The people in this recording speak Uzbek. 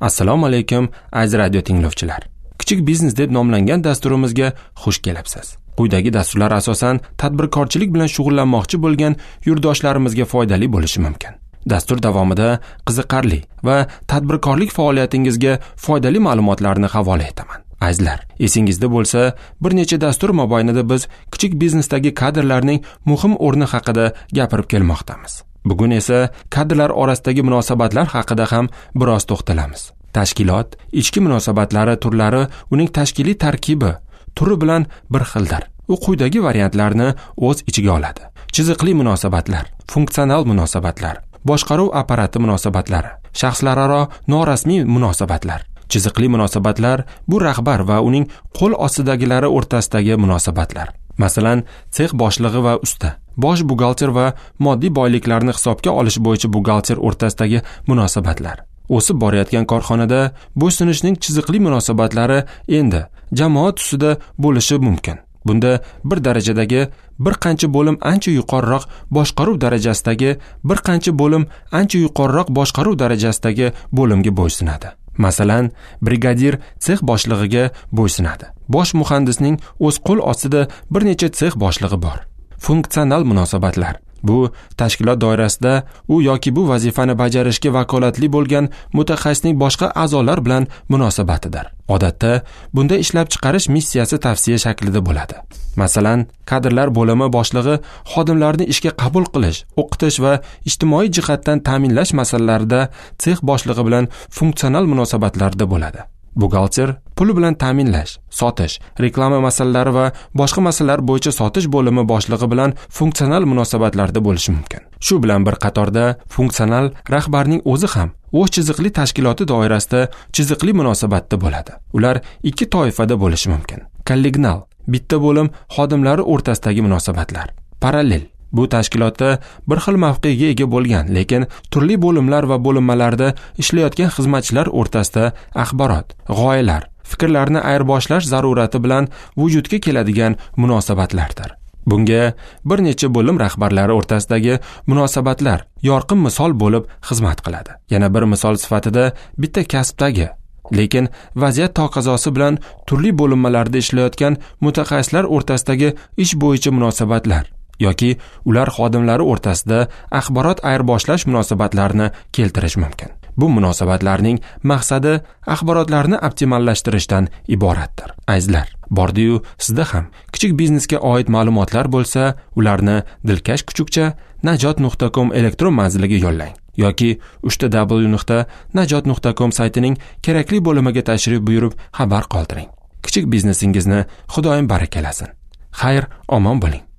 Assalomu alaykum, aziz radio tinglovchilar. Kichik biznes deb nomlangan dasturimizga xush kelibsiz. Quyidagi dasturlar asosan tadbirkorchilik bilan shug'ullanmoqchi bo'lgan yurtdoshlarimizga foydali bo'lishi mumkin. Dastur davomida qiziqarli va tadbirkorlik faoliyatingizga foydali ma'lumotlarni havola etaman. Azizlar, esingizda bo'lsa, bir necha dastur mobaynida biz kichik biznesdagi kadrlarning muhim o'rni haqida gapirib kelmoqdamiz. Bugun esa kadrlar orasidagi munosabatlar haqida ham biroz to'xtalamiz. Tashkilot ichki munosabatlari turlari uning tashkiliy tarkibi turi bilan bir xildir. U quyidagi variantlarni o'z ichiga oladi: chiziqli munosabatlar, funksional munosabatlar, boshqaruv apparati munosabatlari, shaxslararo norasmiy munosabatlar. Chiziqli munosabatlar bu rahbar va uning qo'l ostidagilari o'rtasidagi munosabatlar. Masalan, sex boshlig'i va usta, bosh buxgalter va moddiy boyliklarni hisobga olish bo'yicha buxgalter o'rtasidagi munosabatlar. O'sib borayotgan korxonada bo'ysunishning chiziqli munosabatlari endi jamoat tusida bo'lishi mumkin. Bunda bir darajadagi bir qancha bo'lim ancha yuqoriroq boshqaruv darajasidagi bir qancha bo'lim ancha yuqoriroq boshqaruv darajasidagi bo'limga bo'ysunadi. Masalan, brigadir sex boshlig'iga bo'ysunadi. Bosh muhandisning o'z qo'l ostida bir necha sex boshlig'i bor. Funksional munosabatlar. Bu tashkilot doirasida u yoki bu vazifani bajarishga vakolatli bo'lgan mutaxassisning boshqa a'zolar bilan munosabatidir. Odatda bunda ishlab chiqarish missiyasi tavsiya shaklida bo'ladi. Masalan, kadrlar bo'limi boshlig'i xodimlarni ishga qabul qilish, o'qitish va ijtimoiy jihatdan ta'minlash masalalarida sex boshlig'i bilan funksional munosabatlarda bo'ladi. Buxgalter pul bilan ta'minlash, sotish, reklama masalalari va boshqa masalalar bo'yicha sotish bo'limi boshlig'i bilan funksional munosabatlarda bo'lishi mumkin. Shu bilan bir qatorda funksional rahbarning o'zi ham o'z chiziqli tashkiloti doirasida chiziqli munosabatda bo'ladi. Ular ikki toifada bo'lishi mumkin. Kollegial bitta bo'lim xodimlari o'rtasidagi munosabatlar. Parallel bu tashkilotda bir xil mavqega ega bo'lgan, lekin turli bo'limlar va bo'linmalarda ishlayotgan xizmatchilar o'rtasida axborot, g'oyalar, fikrlarni ayirboshlash zarurati bilan vujudga keladigan munosabatlardir. Bunga bir necha bo'lim rahbarlari o'rtasidagi munosabatlar yorqin misol bo'lib xizmat qiladi. Yana bir misol sifatida bitta kasbdagi, lekin vaziyat taqozosi bilan turli bo'linmalarda ishlayotgan mutaxassislar o'rtasidagi ish bo'yicha munosabatlar yoki ular xodimlari o'rtasida axborot ayirboshlash munosabatlarini keltirish mumkin. Bu munosabatlarning maqsadi axborotlarni optimallashtirishdan iboratdir. Azizlar, bordi-yu sizda ham kichik biznesga oid ma'lumotlar bo'lsa, ularni dilkash kuchukcha najot.com elektron manziliga yo'llang yoki www.najot.com saytining kerakli bo'limiga tashrif buyurib xabar qoldiring. Kichik biznesingizni Xudoyim barakalasin. Xayr, omon bo'ling.